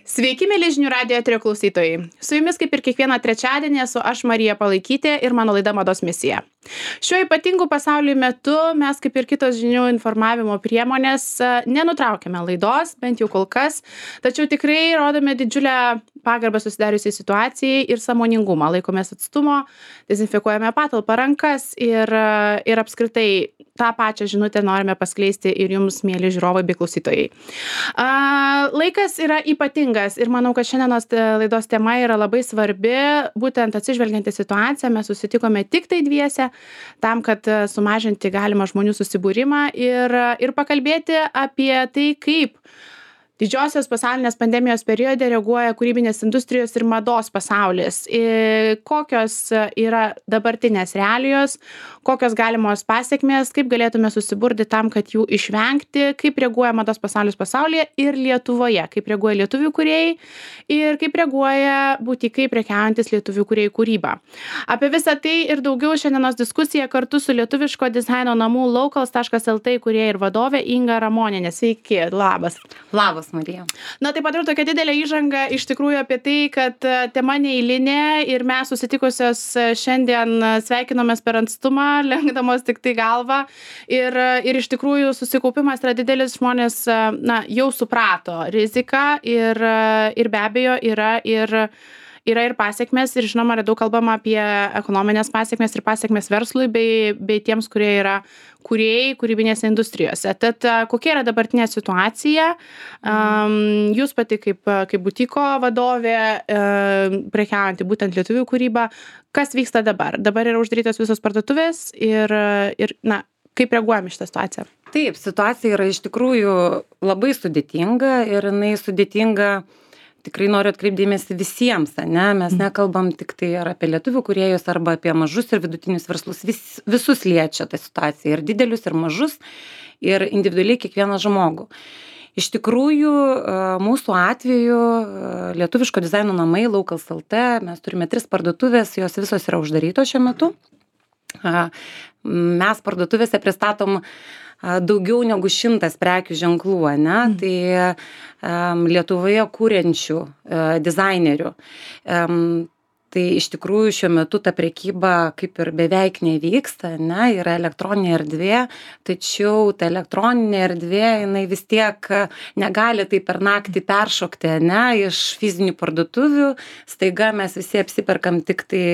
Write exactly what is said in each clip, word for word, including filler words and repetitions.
Sveiki, mėly žinių radijo eterio klausytojai. Su jumis kaip ir kiekvieną trečiadienį esu aš Marija Palaikytė ir mano laida Mados misija. Šiuo ypatingu pasaulio metu mes kaip ir kitos žinių informavimo priemonės nenutraukėme laidos, bent jau kol kas, tačiau tikrai rodome didžiulę pagarbą susidariusiai situacijai ir sąmoningumą, laikomės atstumo, dezinfekuojame patalpą, rankas ir, ir apskritai tą pačią žinutę norime paskleisti ir jums, mėly žiūrovai bei klausytojai. A, laikas yra ypatingas ir manau, kad šiandienos laidos tema yra labai svarbi, būtent atsižvelgiant į situaciją, mes susitikome tik tai dviese, tam, kad sumažinti galimą žmonių susibūrimą ir, ir pakalbėti apie tai, kaip didžiosios pasaulinės pandemijos periode reaguoja kūrybinės industrijos ir mados pasaulis. Ir kokios yra dabartinės realijos, kokios galimos pasiekmės, kaip galėtume susiburti tam, kad jų išvengti, kaip reaguoja mados pasaulis pasaulyje ir Lietuvoje, kaip reaguoja lietuvių kūrėjai ir kaip reaguoja būtikai prekiaujantis lietuvių kūrėjų kūryba. Apie visą tai ir daugiau šiandienos diskusija kartu su lietuviško dizaino namų locals taškas lt kūrėja ir vadovė Inga Ramonienė. Sveiki, labas. Labas. Marija. Na, taip pat ir tokia didelė įžanga iš tikrųjų apie tai, kad tema neeilinė ir mes susitikusios šiandien sveikinomės per atstumą, lenkdamos tik tai galvą ir, ir iš tikrųjų susikaupimas yra didelis, žmonės na, jau suprato riziką ir, ir be abejo yra ir yra ir pasiekmes ir žinoma, yra daug kalbama apie ekonominės pasiekmes ir pasiekmes verslui bei, bei tiems, kurie yra kūrėjai kūrybinėse industrijose. Tad kokia yra dabartinė situacija? Um, jūs pati kaip, kaip butiko vadovė, um, prekiaujanti būtent lietuvių kūrybą, kas vyksta dabar? Dabar yra uždarytos visos parduotuvės ir, ir na, kaip reaguojame šitą situaciją? Taip, situacija yra iš tikrųjų labai sudėtinga ir jinai sudėtinga. Tikrai noriu atkreipdėmėsi visiems, ne? Mes nekalbam tik tai ar apie lietuvių kūrėjus, arba apie mažus ir vidutinius verslus. Vis, visus liečia ta situacija, ir didelius, ir mažus, ir individualiai kiekvieną žmogų. Iš tikrųjų, mūsų atveju lietuviško dizaino namai Locals taškas lt, mes turime tris parduotuvės, jos visos yra uždarytos šiuo metu. Mes parduotuvėse pristatom daugiau negu šimtas prekių ženklų, ne? Mm. Tai um, Lietuvoje kūrenčių uh, dizainerių. Um, tai iš tikrųjų šiuo metu ta prekyba kaip ir beveik nevyksta, ne? Yra elektroninė erdvė, tačiau ta elektroninė erdvė, jinai vis tiek negali tai per naktį peršokti, ne? Iš fizinių parduotuvių, staiga mes visi apsiperkam tik tai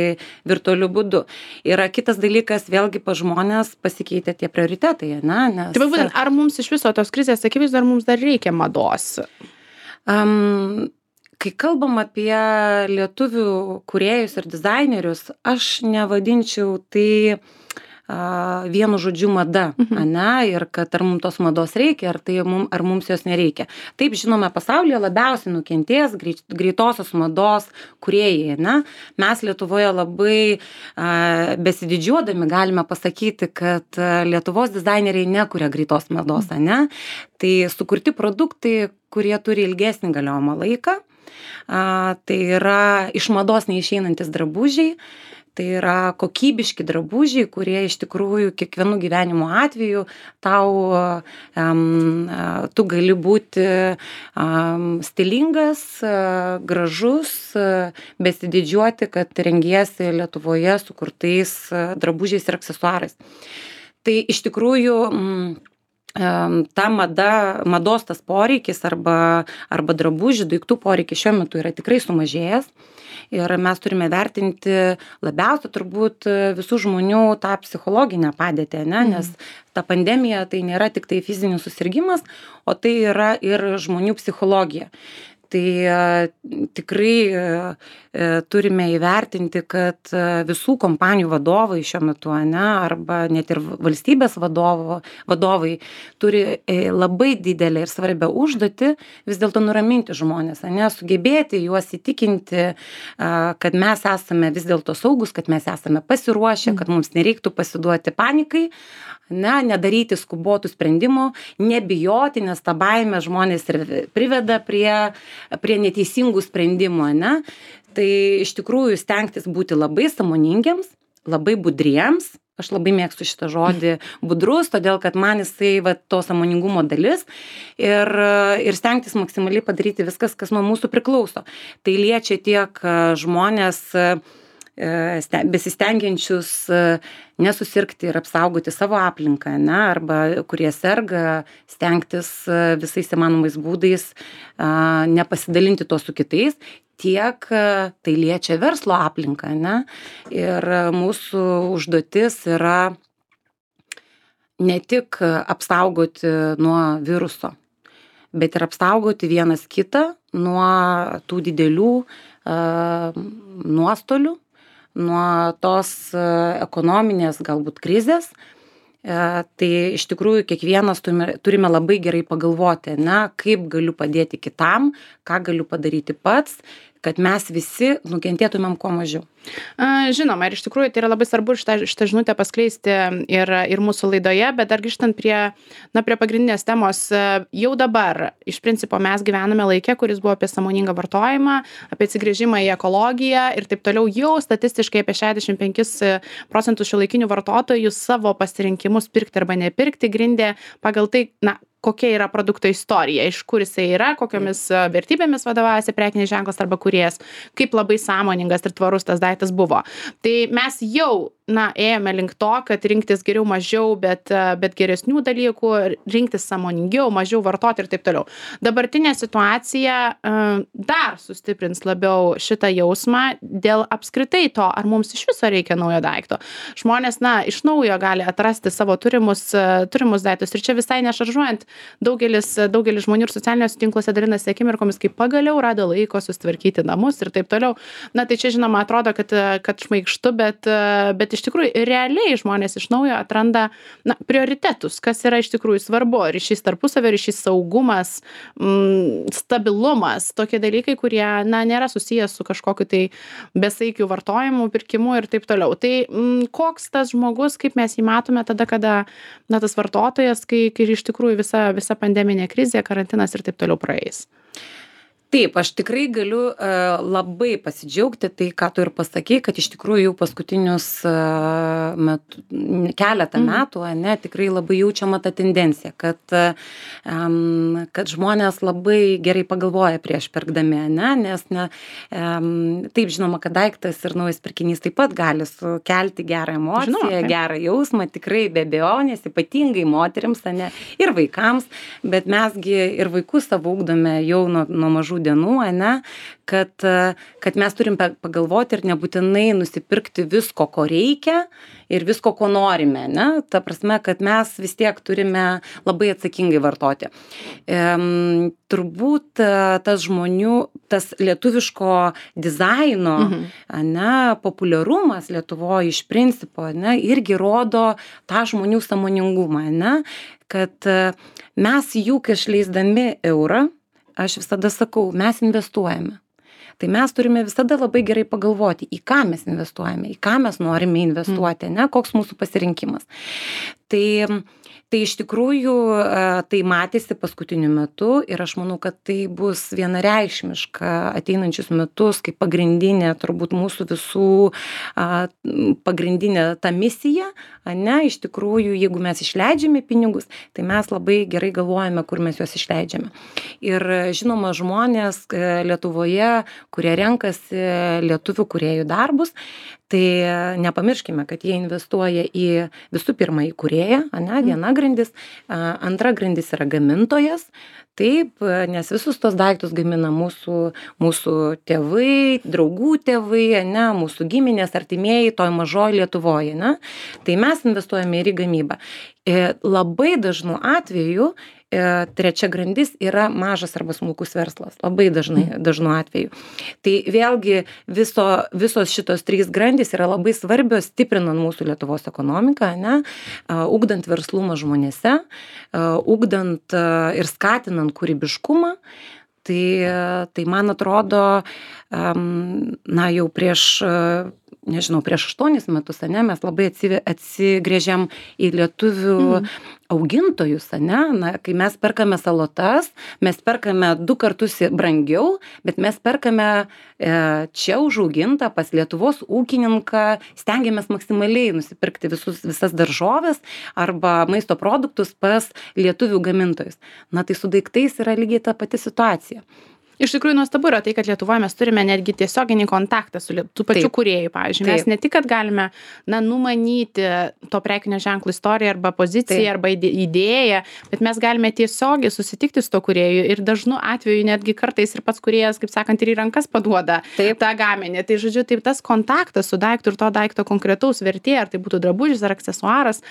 virtualiu būdu. Yra kitas dalykas, vėlgi pa žmonės pasikeitė tie prioritetai, ne? Nes... Tai būtent, ar mums iš viso tos krizės akivaizdoj, ar mums dar reikia mados? Um, Kai kalbam apie lietuvių kūrėjus ir dizainerius, aš nevadinčiau tai a, vienu žodžiu mada, mhm. ane, ir kad ar mums tos mados reikia, ar, tai mum, ar mums jos nereikia. Taip, žinome, pasaulyje labiausiai nukentės greit, greitosios mados kūrėjai, ne? Mes Lietuvoje labai a, besididžiuodami galime pasakyti, kad Lietuvos dizaineriai nekuria greitos mados, ane? Tai sukurti produktai, kurie turi ilgesnį galiojimo laiką. A, tai yra iš mados neišeinantis drabužiai, tai yra kokybiški drabužiai, kurie iš tikrųjų kiekvienų gyvenimo atveju tau, um, tu gali būti um, stilingas, uh, gražus, uh, besididžiuoti, kad rengiesi Lietuvoje sukurtais uh, drabužiais ir aksesuarais. Tai iš tikrųjų um, ta mada, mados tas poreikis arba, arba drabužių, daiktų poreikis šiuo metu yra tikrai sumažėjęs ir mes turime vertinti labiausiai turbūt visų žmonių tą psichologinę padėtį, ne? Nes ta pandemija tai nėra tik tai fizinis susirgimas, o tai yra ir žmonių psichologija. Tai tikrai turime įvertinti, kad visų kompanijų vadovai šiuo metu, ne, arba net ir valstybės vadovo, vadovai turi labai didelę ir svarbią užduotį vis dėlto nuraminti žmonės, ne, sugebėti juos įtikinti, kad mes esame vis dėlto saugus, kad mes esame pasiruošę, kad mums nereiktų pasiduoti panikai, ne, nedaryti skubotų sprendimų, nebijoti, nes ta baimė žmonės ir priveda prie, prie neteisingų sprendimų, ne. Tai iš tikrųjų stengtis būti labai sąmoningiams, labai budriems Aš labai mėgstu šitą žodį budrus, todėl kad man jisai va, to sąmoningumo dalis ir, ir stengtis maksimaliai padaryti viskas, kas nuo mūsų priklauso. Tai liečia tiek žmonės besistengiančius nesusirgti ir apsaugoti savo aplinką, ne, arba kurie serga, stengtis visais įmanomais būdais nepasidalinti to su kitais, tiek tai liečia verslo aplinką, ne, ir mūsų užduotis yra ne tik apsaugoti nuo viruso, bet ir apsaugoti vienas kitą nuo tų didelių uh, nuostolių, nuo tos uh, ekonominės galbūt krizės. Uh, tai iš tikrųjų kiekvienas turime, turime labai gerai pagalvoti, ne, kaip galiu padėti kitam, ką galiu padaryti pats, kad mes visi nukentėtumėm kuo mažiau. Žinoma, ir iš tikrųjų tai yra labai svarbu šitą, šitą žinutę paskleisti ir, ir mūsų laidoje, bet dar grįžtant prie, na, prie pagrindinės temos, jau dabar iš principo mes gyvename laikė, kuris buvo apie sąmoningą vartojimą, apie atsigręžimą į ekologiją ir taip toliau. Jau statistiškai apie šešiasdešimt penkis procentus šiuolaikinių vartotojų savo pasirinkimus pirkti arba nepirkti grindė pagal tai, na, kokia yra produkto istorija, iš kur jisai yra, kokiomis vertybėmis vadovaujasi prekinis ženklas arba kūrėjas, kaip labai sąmoningas ir tvarus tas daiktas buvo. Tai mes jau, na, ėjome link to, kad rinktis geriau mažiau, bet, bet geresnių dalykų, rinktis sąmoningiau, mažiau vartoti ir taip toliau. Dabartinė situacija uh, dar sustiprins labiau šitą jausmą dėl apskritai to, ar mums iš viso reikia naujo daikto. Žmonės, na, iš naujo gali atrasti savo turimus, uh, turimus daiktus ir čia visai nešaržuojant, daugelis, daugelis žmonių ir socialiniuose tinkluose dalinasi akimirkomis, kaip pagaliau rado laiko sustvarkyti namus ir taip toliau. Na, tai čia, žinoma, atrodo, kad, kad šmaikštu, bet, bet iš tikrųjų realiai žmonės iš naujo atranda, na, prioritetus, kas yra iš tikrųjų svarbu. Ryšys tarpusavio, ryšys saugumas, mm, stabilumas, tokie dalykai, kurie, na, nėra susijęs su kažkokiu tai besaikiu vartojimu, pirkimu ir taip toliau. Tai mm, koks tas žmogus, kaip mes jį matome tada, kada, na, tas vartotojas, kai, kai iš tikrųjų visa visa pandeminė krizė, karantinas ir taip toliau praeis. Taip, aš tikrai galiu uh, labai pasidžiaugti tai, ką tu ir pasakei, kad iš tikrųjų jau paskutinius uh, metu, keletą mm. metų, ne, tikrai labai jaučiama ta tendencija, kad, um, kad žmonės labai gerai pagalvoja prieš pirkdami, ne, nes ne, um, taip žinoma, kad daiktas ir naujas pirkinys taip pat gali sukelti gerą emociją, žinoma, gerą jausmą, tikrai be abejonės, ypatingai moterims, ne, ir vaikams, bet mesgi ir vaikus savo ugdome jau nuo, nuo mažų dienų, ne, kad, kad mes turim pagalvoti ir nebūtinai nusipirkti visko, ko reikia ir visko, ko norime, ne, ta prasme, kad mes vis tiek turime labai atsakingai vartoti. Ehm, turbūt tas žmonių, tas lietuviško dizaino, mhm. ne, populiarumas Lietuvoje iš principo, ne, irgi rodo tą žmonių sąmoningumą, ne, kad mes juk išleisdami eurą, aš visada sakau, mes investuojame. Tai mes turime visada labai gerai pagalvoti, į ką mes investuojame, į ką mes norime investuoti, ne, koks mūsų pasirinkimas. Tai, tai iš tikrųjų tai matėsi paskutiniu metu ir aš manau, kad tai bus vienareikšmiška ateinančius metus, kaip pagrindinė turbūt mūsų visų pagrindinė ta misija, ne, iš tikrųjų, jeigu mes išleidžiame pinigus, tai mes labai gerai galvojame, kur mes juos išleidžiame. Ir žinoma, žmonės Lietuvoje, kurie renkasi lietuvių kūrėjų darbus, tai nepamirškime, kad jie investuoja į visų pirma į kūrėją, ane, viena grandis, antra grandis yra gamintojas, taip, nes visus tos daiktus gamina mūsų, mūsų tėvai, draugų tėvai, ane, mūsų giminės, artimieji toj mažoj Lietuvoje, ne, tai mes investuojame ir į gamybą. Labai dažnu atveju trečia grandis yra mažas arba smulkus verslas, labai dažnai, dažnu atveju. Tai vėlgi viso, visos šitos trys grandys yra labai svarbios, stiprinant mūsų Lietuvos ekonomiką, ne, ugdant verslumą žmonėse, ugdant ir skatinant kūrybiškumą. Tai, tai man atrodo, na, jau prieš nežinau, prieš aštuonis metus, ane, mes labai atsive- atsigrėžiam į lietuvių mm. augintojus, ane, na, kai mes perkame salotas, mes perkame du kartus brangiau, bet mes perkame e, čia užaugintą pas Lietuvos ūkininką, stengiamės maksimaliai nusipirkti visus, visas daržovės arba maisto produktus pas lietuvių gamintojus. Na, tai su daiktais yra lygiai ta pati situacija. Iš tikrųjų nuostabu yra tai, kad Lietuvoje mes turime netgi tiesioginį kontaktą su tų pačių kūrėjų, pavyzdžiui. Mes ne tik, kad galime na, numanyti to prekinio ženklo istoriją arba poziciją Taip. arba idėją, bet mes galime tiesiogiai susitikti su to kūrėju ir dažnu atveju netgi kartais ir pats kūrėjas, kaip sakant, ir į rankas paduoda Taip. tą gaminį. Tai žodžiu, taip tas kontaktas su daiktu ir to daikto konkretaus vertė, ar tai būtų drabužis ar aksesuaras,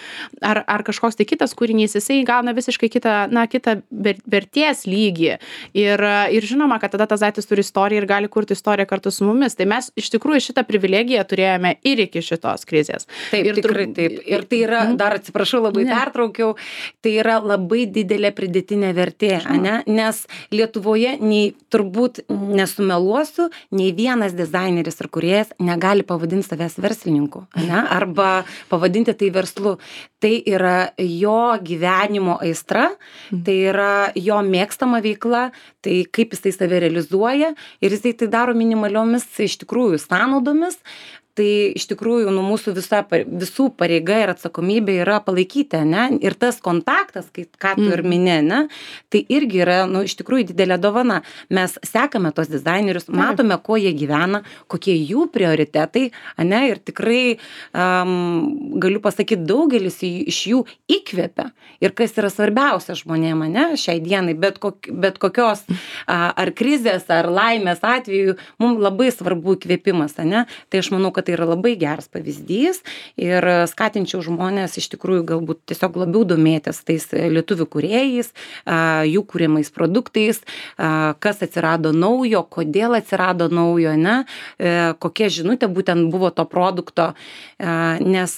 ar, ar kažkoks tai kitas kūrinys, jisai gauna visiškai kitą, na, kitą vertės lygį. Ir, ir žinoma, kad tada tas daiktas turi istoriją ir gali kurti istoriją kartu su mumis. Tai mes iš tikrųjų šitą privilegiją turėjome ir iki šitos krizės. Taip, ir tikrai tur... taip. Ir tai yra, dar atsiprašau, labai ne. pertraukiau, tai yra labai didelė pridėtinė vertė, ane? Nes Lietuvoje nei, turbūt nesumeluosiu, nei vienas dizaineris ir kūrėjas negali pavadinti savęs verslininku, ane? Arba pavadinti tai verslu. Tai yra jo gyvenimo aistra, tai yra jo mėgstama veikla, tai kaip jisai save realizuoja ir jisai tai daro minimaliomis iš tikrųjų sąnaudomis. Tai iš tikrųjų nu, mūsų visa, visų pareiga ir atsakomybė yra palaikyti, ne? Ir tas kontaktas, kai, ką tu ir mini, ne? Tai irgi yra nu, iš tikrųjų didelė dovana. Mes sekame tos dizainerius, matome, kuo jie gyvena, kokie jų prioritetai, ne? Ir tikrai um, galiu pasakyti, daugelis iš jų įkvepia. Ir kas yra svarbiausia žmonėm, ne? Šiai dienai, bet, kok, bet kokios ar krizės, ar laimės atveju, mums labai svarbu įkvėpimas, ne? Tai aš manau, kad tai yra labai geras pavyzdys ir skatinčiau žmonės iš tikrųjų galbūt tiesiog labiau domėtis tais lietuvių kūrėjais, jų kūrimais produktais, kas atsirado naujo, kodėl atsirado naujo, ne, kokia žinutė būtent buvo to produkto, nes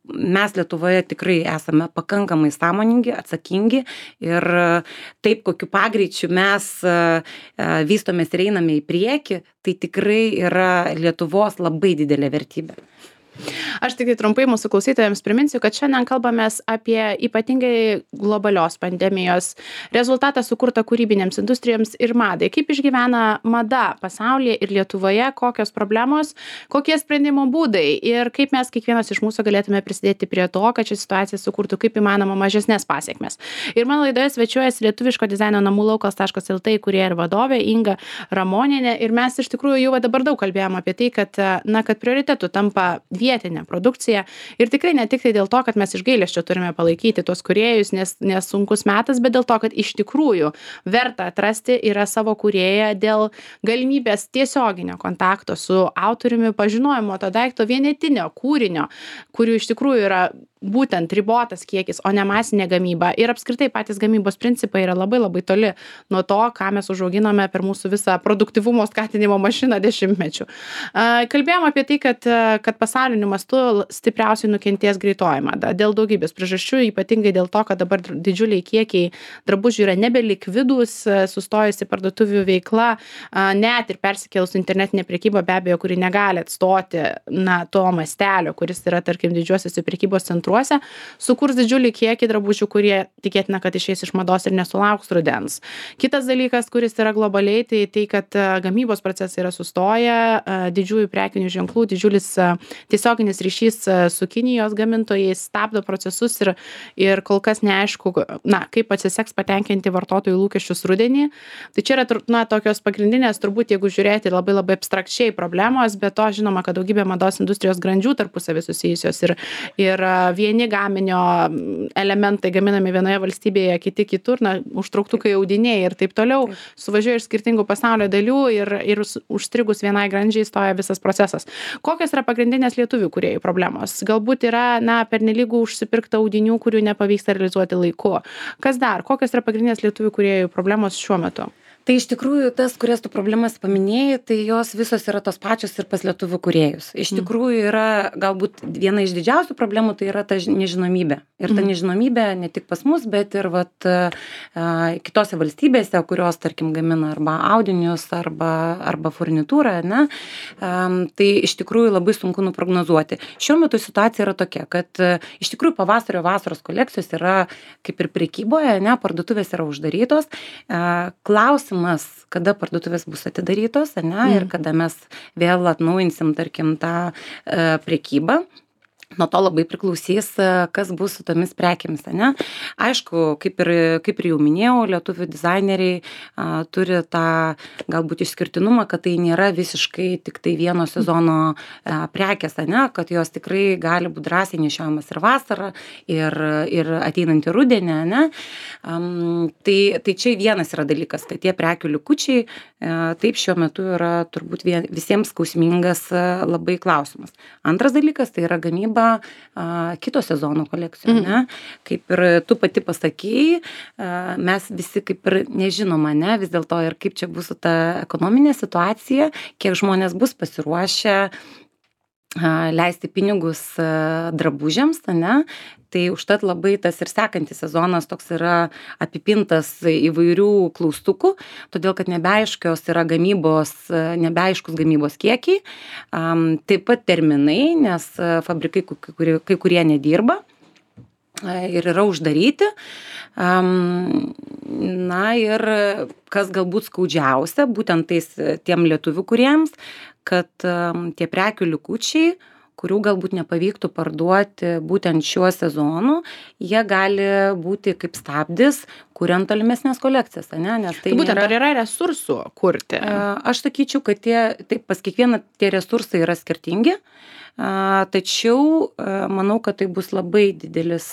mes Lietuvoje tikrai esame pakankamai sąmoningi, atsakingi ir taip, kokiu pagreičiu mes vystomės ir einame į priekį, tai tikrai yra Lietuvos labai didelė vertybė. Aš tik trumpai mūsų klausytojams priminsiu, kad šiandien kalbamės apie ypatingai globalios pandemijos rezultatą sukurtą kūrybinėms industrijoms ir madai. Kaip išgyvena mada pasaulyje ir Lietuvoje, kokios problemos, kokie sprendimo būdai ir kaip mes kiekvienas iš mūsų galėtume prisidėti prie to, kad ši situacija sukurtų kaip įmanoma mažesnės pasiekmes. Ir mano laidoje svečiuojasi lietuviško dizaino namų laukas taškas lt įkūrėja ir vadovė Inga Ramonienė. Ir mes iš tikrųjų jau dabar daug kalbėjom apie tai, kad, na, kad prioritetu tampa vietinė produkcija ir tikrai ne tik tai dėl to, kad mes iš gailesčio turime palaikyti tuos kūrėjus, nes, nes sunkus metas, bet dėl to, kad iš tikrųjų verta atrasti yra savo kūrėją dėl galimybės tiesioginio kontakto su autoriumi, pažinojimo to daikto vienetinio kūrinio, kurių iš tikrųjų yra būtent ribotas kiekis, o ne masinė gamyba. Ir apskritai patys gamybos principai yra labai labai toli nuo to, ką mes užauginome per mūsų visą produktyvumo skatinimo mašiną dešimtmečių. Kalbėjom apie tai, kad, kad pasauliniu mastu stipriausiai nukentės greitoji mada. Dėl daugybės priežasčių, ypatingai dėl to, kad dabar didžiuliai kiekiai drabužių yra nebelikvidūs, sustojusi parduotuvių veikla, net ir persikėlus internetinė prekyba, be abejo, kuri negali atstoti na, to mastelio, kuris yra, tarkim, didžiuosiuose prekybos centruose, sukurs didžiulį kiekį drabužių, kurie tikėtina, kad išeis iš mados ir nesulauks rudens. Kitas dalykas, kuris yra globaliai, tai tai, kad gamybos procesai yra sustoję, didžiųjų prekinių ženklų, didžiulis tiesioginis ryšys su Kinijos gamintojais stabdo procesus ir, ir kol kas neaišku, na, kaip atsiseks patenkinti vartotojų lūkesčius rudenį. Tai čia yra, na, tokios pagrindinės, turbūt, jeigu žiūrėti labai labai abstrakčiai problemos, bet to žinoma, kad daugybė mados industrijos grandžių tarpusavy susijusios ir, ir vieni gaminio elementai gaminami vienoje valstybėje, kiti kitur, na, užtrauktukai audiniai ir taip toliau, taip. Suvažiuoja iš skirtingų pasaulio dalių ir, ir užstrigus vienai grandžiai stoja visas procesas. Kokios yra pagrindinės lietuvių kūrėjų problemos? Galbūt yra, na, pernelyg užsipirkta audinių, kurių nepavyksta realizuoti laiku. Kas dar? Kokios yra pagrindinės lietuvių kūrėjų problemos šiuo metu? Tai iš tikrųjų tas, kurias tu problemas paminėjai, tai jos visos yra tos pačios ir pas lietuvių kūrėjus. Iš tikrųjų yra galbūt viena iš didžiausių problemų, tai yra ta nežinomybė. Ir ta nežinomybė ne tik pas mus, bet ir vat, kitose valstybėse, kurios, tarkim, gamina arba audinius, arba, arba furnitūrą, ne, tai iš tikrųjų labai sunku nuprognozuoti. Šiuo metu situacija yra tokia, kad iš tikrųjų pavasario vasaros kolekcijos yra kaip ir prekyboje, ne, parduotuvės yra uždarytos. Klausimas, kada parduotuvės bus atidarytos, ne, mm. ir kada mes vėl atnaujinsim, tarkim, tą e, prekybą. Nuo to labai priklausys, kas bus su tomis prekėmis, ne? Aišku, kaip ir, kaip ir jau minėjau, lietuvių dizaineriai a, turi tą galbūt išskirtinumą, kad tai nėra visiškai tik tai vieno sezono a, prekės, ne? Kad jos tikrai gali būti drąsiai nešiojamas ir vasarą, ir, ir ateinantį rudenį, ne? Um, tai, tai čia vienas yra dalykas, kad tie prekių likučiai a, taip šiuo metu yra turbūt vien, visiems skausmingas a, labai klausimas. Antras dalykas tai yra gamyba a, kito sezono kolekcijų, mm. ne? Kaip ir tu pati pasakėjai, a, mes visi kaip ir nežinoma, ne? Vis dėlto ir kaip čia bus su ta ekonominė situacija, kiek žmonės bus pasiruošę a, leisti pinigus a, drabužiams, ne? Tai užtat labai tas ir sekantis sezonas toks yra apipintas įvairių klaustukų, todėl kad nebeaiškios yra gamybos, nebeaiškus gamybos kiekiai, um, taip pat terminai, nes fabrikai kai kurie, kai kurie nedirba ir yra uždaryti. Um, na ir kas galbūt skaudžiausia, būtent tais tiem lietuvių kuriems, kad um, tie prekių likučiai, kurių galbūt nepavyktų parduoti būtent šiuo sezonu, jie gali būti kaip stabdis, kuriant tolimesnės kolekcijas, ne? Nes tai būtent nėra... ar yra resursų kurti? Aš sakyčiau, kad tie, taip, pas kiekvieną tie resursai yra skirtingi, tačiau manau, kad tai bus labai didelis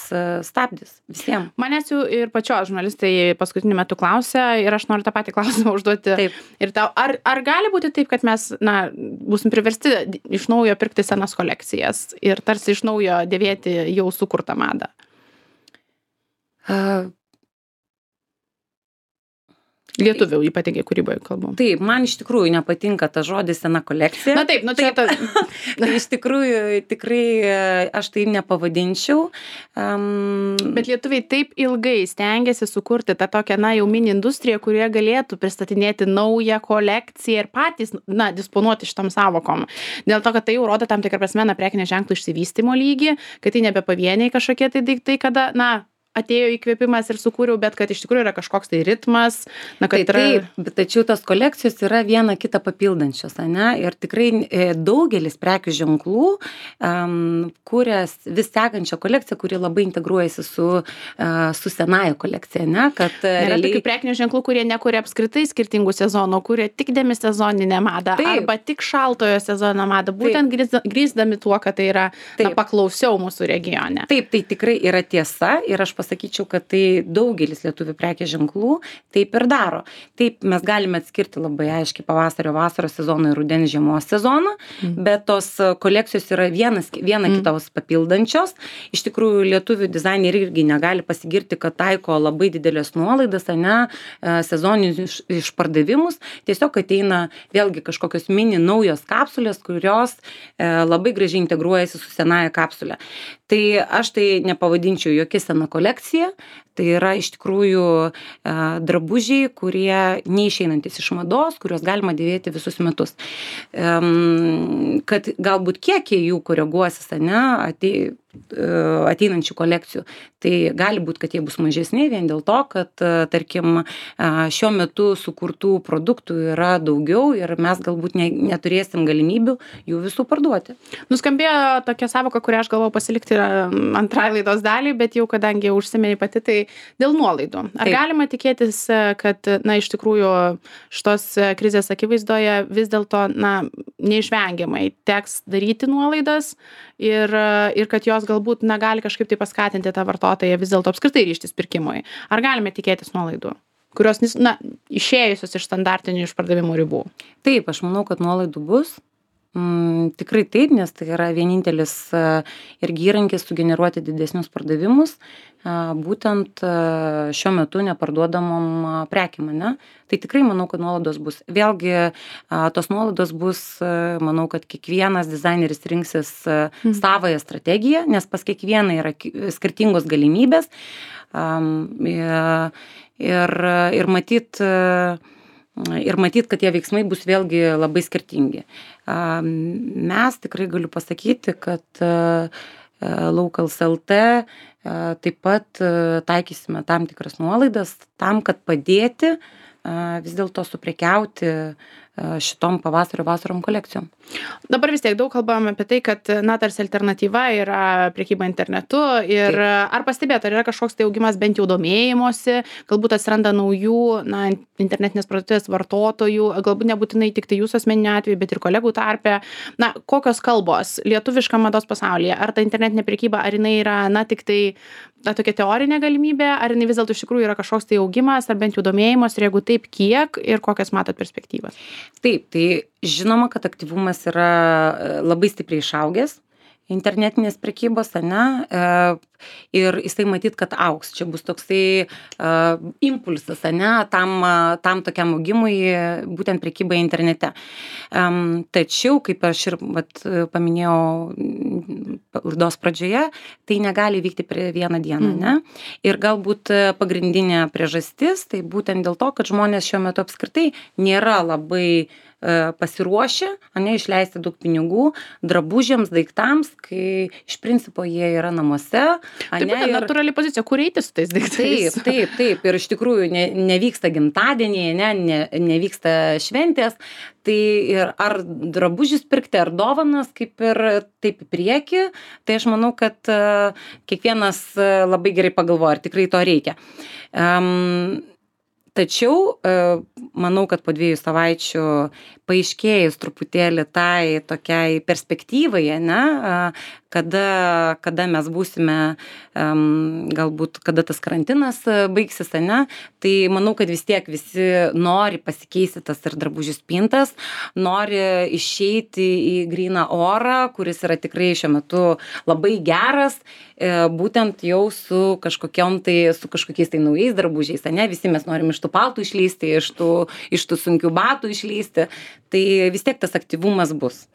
stabdis visiems. Manęs jau ir pačios žurnalistai paskutiniu metu klausia ir aš noriu tą patį klausimą užduoti. Taip. Ir tau, ar, ar gali būti taip, kad mes, na, būsim priversti iš naujo pirkti senas kolekcijas ir tarsi iš naujo dėvėti jau sukurtą madą? Uh, Lietuvių ypatingai kūryboje kalbam. Taip, man iš tikrųjų nepatinka ta žodis sena kolekcija. Na taip, nu čia ta... Tai iš tikrųjų tikrai aš tai nepavadinčiau. Um... Bet lietuviai taip ilgai stengiasi sukurti tą tokią, na, jau mini industriją, kurie galėtų pristatinėti naują kolekciją ir patys, na, disponuoti šitom savokom. Dėl to, kad tai jau rodo tam tikrą prasme, na, prekinio ženklo išsivystymo lygį, kad tai nebe pavieniai kažkokie tai daiktai, kada, na, atėjo įkvėpimas ir sukūriau, bet kad iš tikrųjų yra kažkoks tai ritmas, na, kad tai, yra... Taip, bet tačiau tos kolekcijos yra viena kitą papildančios, ne? Ir tikrai daugelis prekių ženklų um, kūrės vis sekančią kolekciją, kuri labai integruojasi su, uh, su senaja kolekcija, ne? Kad Yra realiai... tokių prekinių ženklų, kurie nekuria apskritai skirtingų sezonų, kurie tik demisezoninę madą, taip. Arba tik šaltojo sezono madą, būtent grįsdami tuo, kad tai yra na, paklausiau mūsų regione. Taip, tai tikrai yra tiesa ir aš pasakyčiau, kad tai daugelis lietuvių prekės ženklų taip ir daro. Taip, mes galime atskirti labai aiškiai pavasario vasaros sezoną ir rudens žiemos sezoną, mm. bet tos kolekcijos yra vienas, viena mm. kitos papildančios. Iš tikrųjų, lietuvių dizaineriai irgi negali pasigirti, kad taiko labai didelės nuolaidas, ne, sezoninius išpardavimus. Tiesiog ateina vėlgi kažkokios mini naujos kapsulės, kurios e, labai gražiai integruojasi su senaja kapsulė. Tai aš tai nepavadinčiau jokia sena kolekcija, tai yra iš tikrųjų e, drabužiai, kurie neišeinantis iš mados, kuriuos galima dėvėti visus metus. E, kad galbūt kiekiai jų koreguosis, ne, atei, ateinančių kolekcijų, tai gali būti, kad jie bus mažesni vien dėl to, kad, tarkim, šiuo metu sukurtų produktų yra daugiau ir mes galbūt ne, neturėsim galimybių jų visų parduoti. Nuskambėjo tokia savoka, kurią aš galvau pasilikti antrai laidos dalį, bet jau kadangi jau užsiminei pati, tai dėl nuolaidų. Ar Taip. Galima tikėtis, kad, na, iš tikrųjų šitos krizės akivaizdoje vis dėlto, na, neišvengiamai teks daryti nuolaidas ir, ir kad jos galbūt negali kažkaip tai paskatinti tą vartotoją vis dėlto apskritai ryžtis pirkimui. Ar galime tikėtis nuolaidų, kurios, na, išėjusios iš standartinių išpardavimo ribų? Taip, aš manau, kad nuolaidų bus. Mm, tikrai taip, nes tai yra vienintelis a, irgi įrankis sugeneruoti didesnius pardavimus, a, būtent a, šiuo metu neparduodamom a, prekiam, ne? Tai tikrai manau, kad nuolaidos bus. Vėlgi, a, tos nuolaidos bus, a, manau, kad kiekvienas dizaineris rinksis a, Mhm. savąją strategiją, nes pas kiekvieną yra ki- skirtingos galimybės. Am, ir, ir, ir matyt, a, ir matyt, kad tie veiksmai bus vėlgi labai skirtingi. A, Mes tikrai galiu pasakyti, kad a, a, Locals L T a, taip pat a, taikysime tam tikras nuolaidas tam, kad padėti a, vis dėlto suprekiauti a, šitom pavasario vasarom kolekcijom. Dabar vis tiek daug kalbam apie tai, kad, na, tarsi alternatyva yra prekyba internetu ir Taip. ar pastebėt, ar yra kažkoks tai augimas bent jau domėjimosi, galbūt atsiranda naujų, na, internetinės parduotuvės vartotojų, galbūt nebūtinai tik tai jūsų asmeniniu atveju, bet ir kolegų tarpe. Na, kokios kalbos lietuviškam mados pasaulyje? Ar ta internetinė prekyba, ar jinai yra, na, tik tai na, tokia teorinė galimybė, ar jinai vis dėlto iš tikrųjų yra kažkoks tai augimas, ar bent jau domėjimas, ir jeigu taip, kiek ir kokias matot perspektyvas? Taip, tai žinoma, kad aktyvumas yra e, labai stipriai išaugęs internetinės prekybos, ane, e, ir jisai matyt, kad augs. Čia bus toksai e, impulsas, ane, tam, a, tam tokiam augimui, e, būtent prekybai internete. Em, tačiau, kaip aš ir vat, paminėjau m, laidos pradžioje, tai negali vykti per vieną dieną, Mhm. ne? Ir galbūt e, pagrindinė priežastis, tai būtent dėl to, kad žmonės šiuo metu apskritai nėra labai e, pasiruošę, ane, išleisti daug pinigų drabužiams, daiktams, kai iš principo jie yra namuose. Tai ane, būtent ir- natūrali pozicija, kur eiti su tais daiktais. Taip, taip, taip. Ir iš tikrųjų ne, nevyksta gimtadieniai, ne, ne, nevyksta šventės. Tai ir ar drabužius pirkti, ar dovanas, kaip ir taip į priekį. Tai aš manau, kad e, kiekvienas e, labai gerai pagalvoja, ar tikrai to reikia. Um, Tačiau e, manau, kad po dviejų savaičių paaiškėjus truputėlį tai tokiai perspektyvai, ne, a, kada, kada mes būsime, um, galbūt kada tas karantinas a, baigsis, ne, tai manau, kad vis tiek visi nori pasikeisti tas ir drabužių spintas, nori išeiti į gryną orą, kuris yra tikrai šiuo metu labai geras, e, būtent jau su kažkokiom tai, su kažkokiais tai naujais drabužiais, ne, visi mes norim iš tų paltų išlysti, iš tų, iš tų sunkių batų išlysti, tai vis tiek tas aktyvumas bus.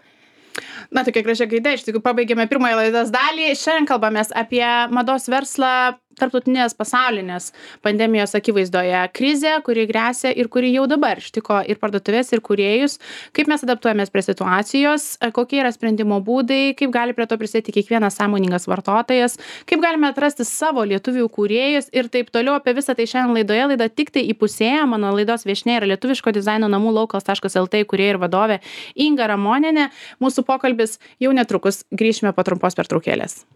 Na, tokia gražia gaida, iš tikrųjų pabaigėme pirmąją laidos dalį. Šiandien kalbamės apie mados verslą tarptautinės pasaulinės pandemijos akivaizdoje. Krizė, kuri gresia ir kuri jau dabar ištiko ir parduotuvės, ir kūrėjus. Kaip mes adaptuojamės prie situacijos, kokie yra sprendimo būdai, kaip gali prie to prisidėti kiekvienas sąmoningas vartotojas, kaip galime atrasti savo lietuvių kūrėjus ir taip toliau. Apie visą tai šiandien laidoje. Laida tik tai įpusėja. Mano laidos viešnia yra lietuviško dizaino namų Locals taškas L T kūrėja ir vadovė Inga Ramonienė. Mūsų pokalbis jau netrukus, grįšime po trumpos pertraukėlės.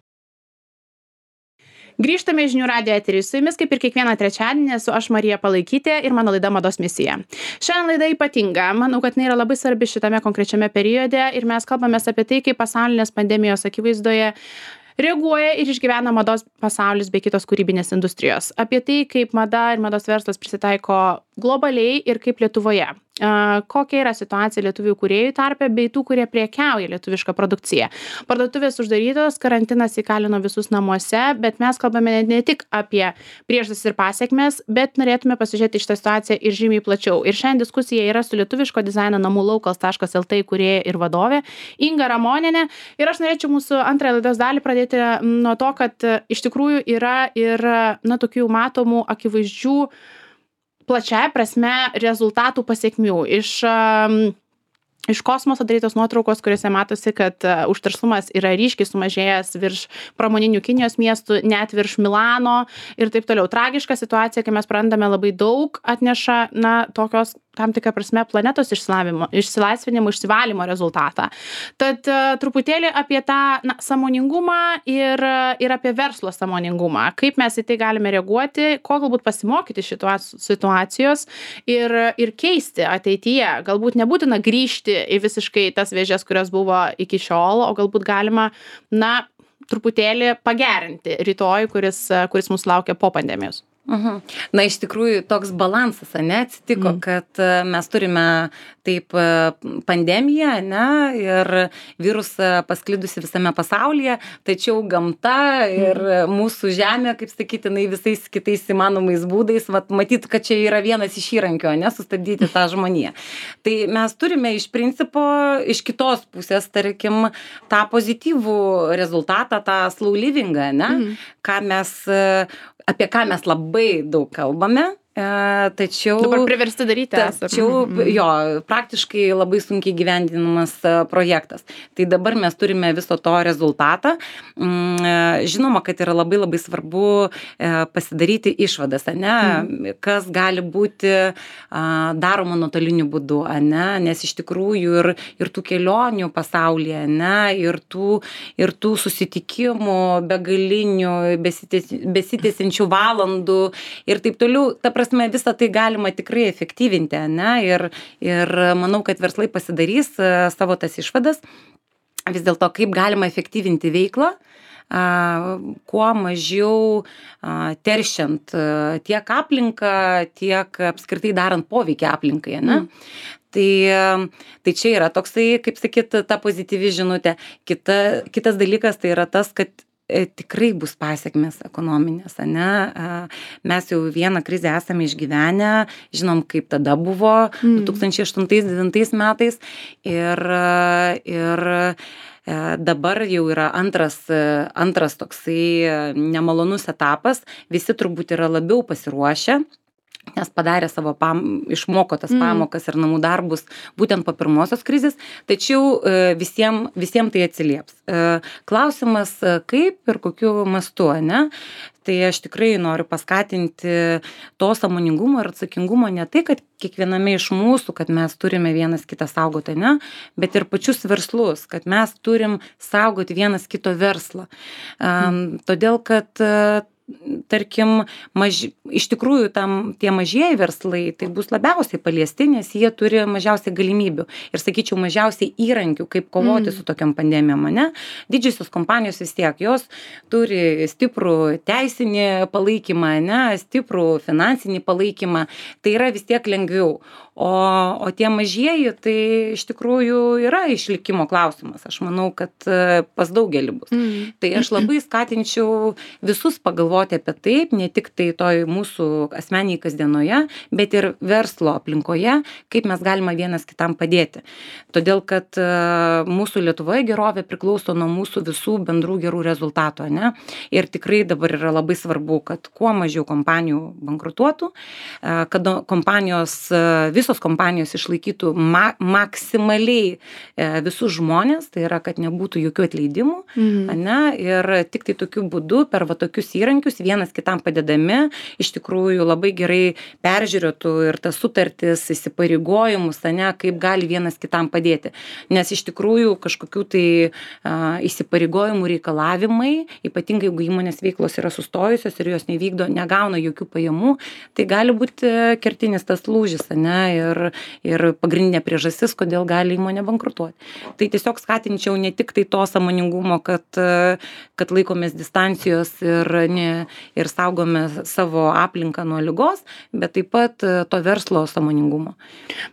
Grįžtame į žinių radijo eterį. Su jumis, kaip ir kiekvieną trečiadienį, esu aš Marija Palaikytė ir mano laida Mados misija. Šiandien laida ypatinga. Manau, kad jinai yra labai svarbi šitame konkrečiame periode ir mes kalbamės apie tai, kaip pasaulinės pandemijos akivaizdoje reaguoja ir išgyvena mados pasaulis bei kitos kūrybinės industrijos. Apie tai, kaip mada ir mados verslas prisitaiko globaliai ir kaip Lietuvoje. Kokia yra situacija lietuvių kūrėjų tarpe bei tų, kurie prekiauja lietuvišką produkciją. Parduotuvės uždarytos, karantinas įkalino visus namuose, bet mes kalbame ne tik apie priežastis ir pasiekmes, bet norėtume pasižiūrėti šitą situaciją ir žymiai plačiau. Ir šiandien diskusija yra su lietuviško dizaino namų Locals taškas L T kūrėja ir vadovė Inga Ramonienė. Ir aš norėčiau mūsų antrąją laidos dalį pradėti nuo to, kad iš tikrųjų yra ir, na, tokių matomų, akivaizdžių plačiaja prasme rezultatų pasiekmių. Iš, um, iš kosmoso darytos nuotraukos, kuriuose matosi, kad uh, užterštumas yra ryškiai sumažėjęs virš pramoninių Kinijos miestų, net virš Milano ir taip toliau. Tragiška situacija, kai mes prarandame labai daug, atneša, na, tokios tam tikrą prasme planetos išsilaisvinimo, išsivalymo rezultatą. Tad uh, truputėlį apie tą, na, sąmoningumą ir, ir apie verslo sąmoningumą. Kaip mes į tai galime reaguoti, ko galbūt pasimokyti šitos situacijos ir, ir keisti ateityje. Galbūt nebūtina grįžti į visiškai tas vėžes, kurios buvo iki šiol, o galbūt galima, na, truputėlį pagerinti rytoj, kuris, kuris mūsų laukia po pandemijos. Mhm. Na, iš tikrųjų, toks balansas, ane, atsitiko, Mm. kad e, mes turime taip e, pandemiją, ne, ir virusą pasklidusi visame pasaulyje, tačiau gamta ir mūsų žemė, kaip sakyti, jinai visais kitais įmanomais būdais, vat, matyt, kad čia yra vienas iš įrankio, ne, sustabdyti tą žmoniją. Tai mes turime iš principo, iš kitos pusės, tarkim, tą pozityvų rezultatą, tą slow livingą, ne, Mhm. ką mes, e, apie ką mes labai daug kalbame, e, tačiau... Dabar priversti daryti esam. Tačiau, Mhm. jo, praktiškai labai sunkiai gyvendinamas e, projektas. Tai dabar mes turime viso to rezultatą. Mm, e, Žinoma, kad yra labai labai svarbu e, pasidaryti išvadas, ane, Mhm. kas gali būti a, daroma nuotoliniu būdu, ane, nes iš tikrųjų ir, ir tų kelionių pasaulyje, ane, ir tų, ir tų susitikimų begalinių, besitęs- besitęsiančių valandų ir taip toliau, ta prasme, visą tai galima tikrai efektyvinti, ane, ir, ir manau, kad verslai pasidarys e, savo tas išvadas, vis dėlto kaip galima efektyvinti veiklą, a, kuo mažiau a, teršiant a, tiek aplinką, tiek apskritai darant poveikį aplinkai, ane. Mm. Tai, tai čia yra toksai, kaip sakyt, ta pozityvi žinutė. Kita, kitas dalykas tai yra tas, kad e, tikrai bus pasiekmes ekonominės, ane? A, Mes jau vieną krizę esame išgyvenę, žinom, kaip tada buvo Mm. du tūkstančiai aštuntais devintais metais ir, a, ir e, dabar jau yra antras, e, antras toksai e, nemalonus etapas, visi turbūt yra labiau pasiruošę, nes padarė savo pam, išmoko tas Mm. pamokas ir namų darbus būtent po pirmosios krizės, tačiau e, visiem, visiem tai atsilieps. E, Klausimas, e, kaip ir kokiu mastu, ne? Tai aš tikrai noriu paskatinti to sąmoningumo ir atsakingumo ne tai, kad kiekviename iš mūsų, kad mes turime vienas kitą saugoti, ne, bet ir pačius verslus, kad mes turim saugoti vienas kito verslą. Um, todėl, kad uh, tarkim, maž... iš tikrųjų tam, tie mažieji verslai tai bus labiausiai paliesti, nes jie turi mažiausiai galimybių ir, sakyčiau, mažiausiai įrankių, kaip kovoti Mm. su tokiam pandemijom, ne? Didžiosios kompanijos vis tiek, jos turi stiprų teisinį palaikymą, ne, stiprų finansinį palaikymą, tai yra vis tiek lengviau. O, o tie mažieji, tai iš tikrųjų yra išlikimo klausimas. Aš manau, kad e, pas daugelį bus. Mm. Tai aš labai skatinčiau visus pagalvoti apie taip, ne tik tai toj mūsų asmeniai kasdienoje, bet ir verslo aplinkoje, kaip mes galime vienas kitam padėti. Todėl, kad e, mūsų Lietuvoje gerovė priklauso nuo mūsų visų bendrų gerų rezultatų, ne? Ir tikrai dabar yra labai svarbu, kad kuo mažiau kompanijų bankrutuotų, e, kad kompanijos, e, visos kompanijos išlaikytų ma maksimaliai e, visus žmonės, tai yra, kad nebūtų jokių atleidimų, Mhm. ane, ir tik tai tokiu būdu per va tokius įrankius vienas kitam padedami iš tikrųjų labai gerai peržiūrėtų ir tas sutartis, įsipareigojimus, ane, kaip gali vienas kitam padėti. Nes iš tikrųjų kažkokių tai a, įsipareigojimų reikalavimai, ypatingai jeigu įmonės veiklos yra sustojusios ir jos nevykdo, negauna jokių pajamų, tai gali būti kertinis tas lūžis, ane, ir, ir pagrindinė priežastis, kodėl gali įmonė bankrutuoti. Tai tiesiog skatinčiau ne tik tai to sąmoningumo, kad, kad laikomės distancijos ir, ne, ir saugome savo aplinką nuo ligos, bet taip pat to verslo sąmoningumo.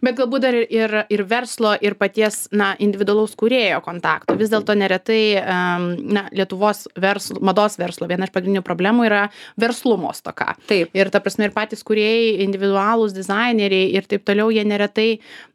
Bet galbūt dar ir, ir verslo, ir paties, na, individualaus kūrėjo kontakto. Vis dėlto neretai, um, na, Lietuvos verslo, mados verslo viena iš pagrindinių problemų yra verslumo stoka. Taip. Ir ta prasme, ir patys kūrėjai, individualūs dizaineriai ir taip toliau, jie neretai,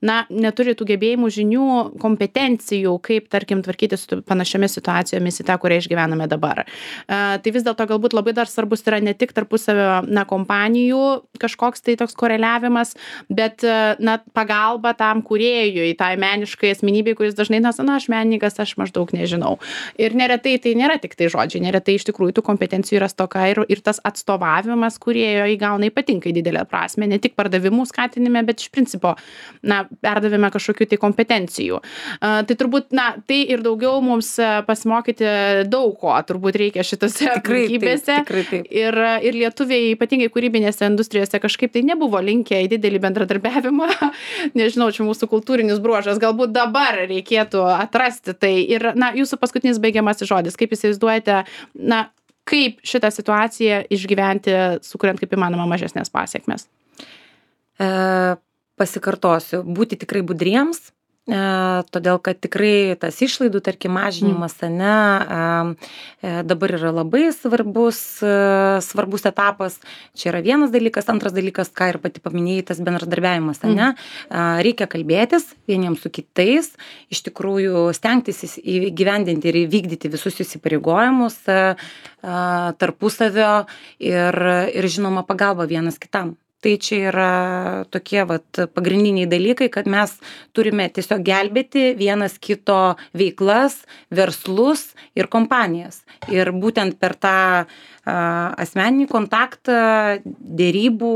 na, neturi tų gebėjimų, žinių, kompetencijų, kaip, tarkim, tvarkyti su panašiomis situacijomis į tą, kurią išgyvename dabar. Uh, tai vis dėlto galbūt labai dar svarbus yra ne tik tarpusavio, na, kompanijų kažkoks tai toks koreliavimas, bet, uh, na, pagalba tam kūrėjui, tai meniškai asmenybei, kuris dažnai, na, na, aš menininkas, aš maždaug nežinau. Ir neretai tai nėra tik tai žodžiai, neretai iš tikrųjų tų kompetencijų yra stoka ir, ir tas atstovavimas kūrėjo įgauna ypatingai didelę prasme, ne tik pardavimų skatinime, bet iš principo, na, perdavime kažkokių tai kompetencijų. Uh, tai turbūt, na, tai ir daugiau mums uh, pasimokyti daug ko, turbūt reikia šitose aplinkybėse. Tikrai taip. Ir, ir lietuviai, ypatingai kūrybinėse industrijose, kažkaip tai nebuvo linkę į didelį bendradarbiavimą. Nežinau, čia mūsų kultūrinis bruožas. Galbūt dabar reikėtų atrasti tai. Ir, na, jūsų paskutinis baigiamasis žodis. Kaip įsivaizduojate, na, kaip šitą situaciją išgyventi, sukuriant kaip įmanoma mažesnės pasiekmes? E, pasikartosiu, būti tikrai budriems, e, todėl kad tikrai tas išlaidų, tarkim, mažinimas, mm. ne, e, dabar yra labai svarbus, e, svarbus etapas. Čia yra vienas dalykas, antras dalykas, ką ir pati paminėjai, tas bendradarbiavimas, mm. ne, e, reikia kalbėtis vieniems su kitais, iš tikrųjų stengtis įgyvendinti ir įvykdyti visus įsipareigojimus e, e, tarpusavio ir, ir žinoma pagalba vienas kitam. Tai čia yra tokie vat pagrindiniai dalykai, kad mes turime tiesiog gelbėti vienas kito veiklas, verslus ir kompanijas. Ir būtent per tą a, asmeninį kontaktą, dėrybų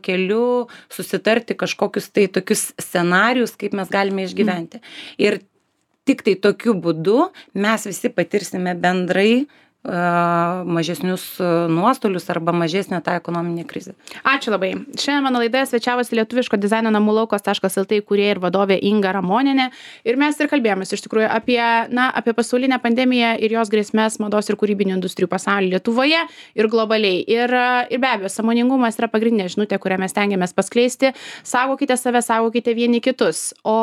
keliu susitarti kažkokius tai tokius scenarius, kaip mes galime išgyventi. Ir tik tai tokiu būdu mes visi patirsime bendrai mažesnius nuostolius arba mažesnę tą ekonominę krizę. Ačiū labai. Šiandien mano laidoje svečiavosi lietuviško dizaino namų laukos taškas lt įkūrėja ir vadovė Inga Ramonienė. Ir mes ir kalbėjomės iš tikrųjų apie, na, apie pasaulinę pandemiją ir jos grėsmės mados ir kūrybinių industrijų pasaulyje Lietuvoje ir globaliai. Ir, ir be abejo, sąmoningumas yra pagrindinė žinutė, kurią mes stengiamės paskleisti. Saugokite save, saugokite vieni kitus. O,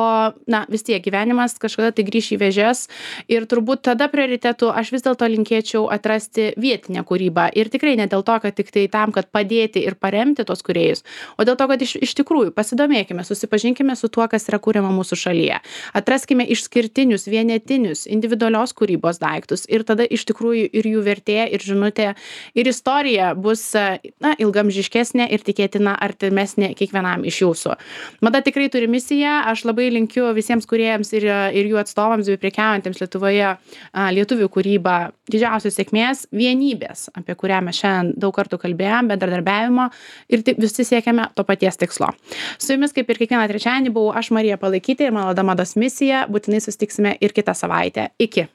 na, vis tiek gyvenimas kažkada tai grįš į vėžes. Ir turbūt tada prioritetų aš vis dėlto linkėčiau atrasti vietinę kūrybą. Ir tikrai ne dėl to, kad tik tai tam, kad padėti ir paremti tos kūrėjus, o dėl to, kad iš, iš tikrųjų pasidomėkime, susipažinkime su tuo, kas yra kūriama mūsų šalyje. Atraskime išskirtinius, vienetinius, individualios kūrybos daiktus ir tada iš tikrųjų ir jų vertė, ir žinutė, ir istorija bus, na, ilgamžiškesnė ir tikėtina artimesnė kiekvienam iš jūsų. Mada tikrai turi misiją. Aš labai linkiu visiems kūrėjams ir, ir jų atstovams bei prekiaujantiems Lietuvoje lietuvių kūrybą didžiausios sėkmės, vienybės, apie kurią mes šiandien daug kartų kalbėjom, bendradarbiavimo ir visi siekiame to paties tikslo. Su jumis, kaip ir kiekvieną trečiadienį, buvau aš, Marija Palaikytė, ir mano Mados misija. Būtinai susitiksime ir kitą savaitę. Iki.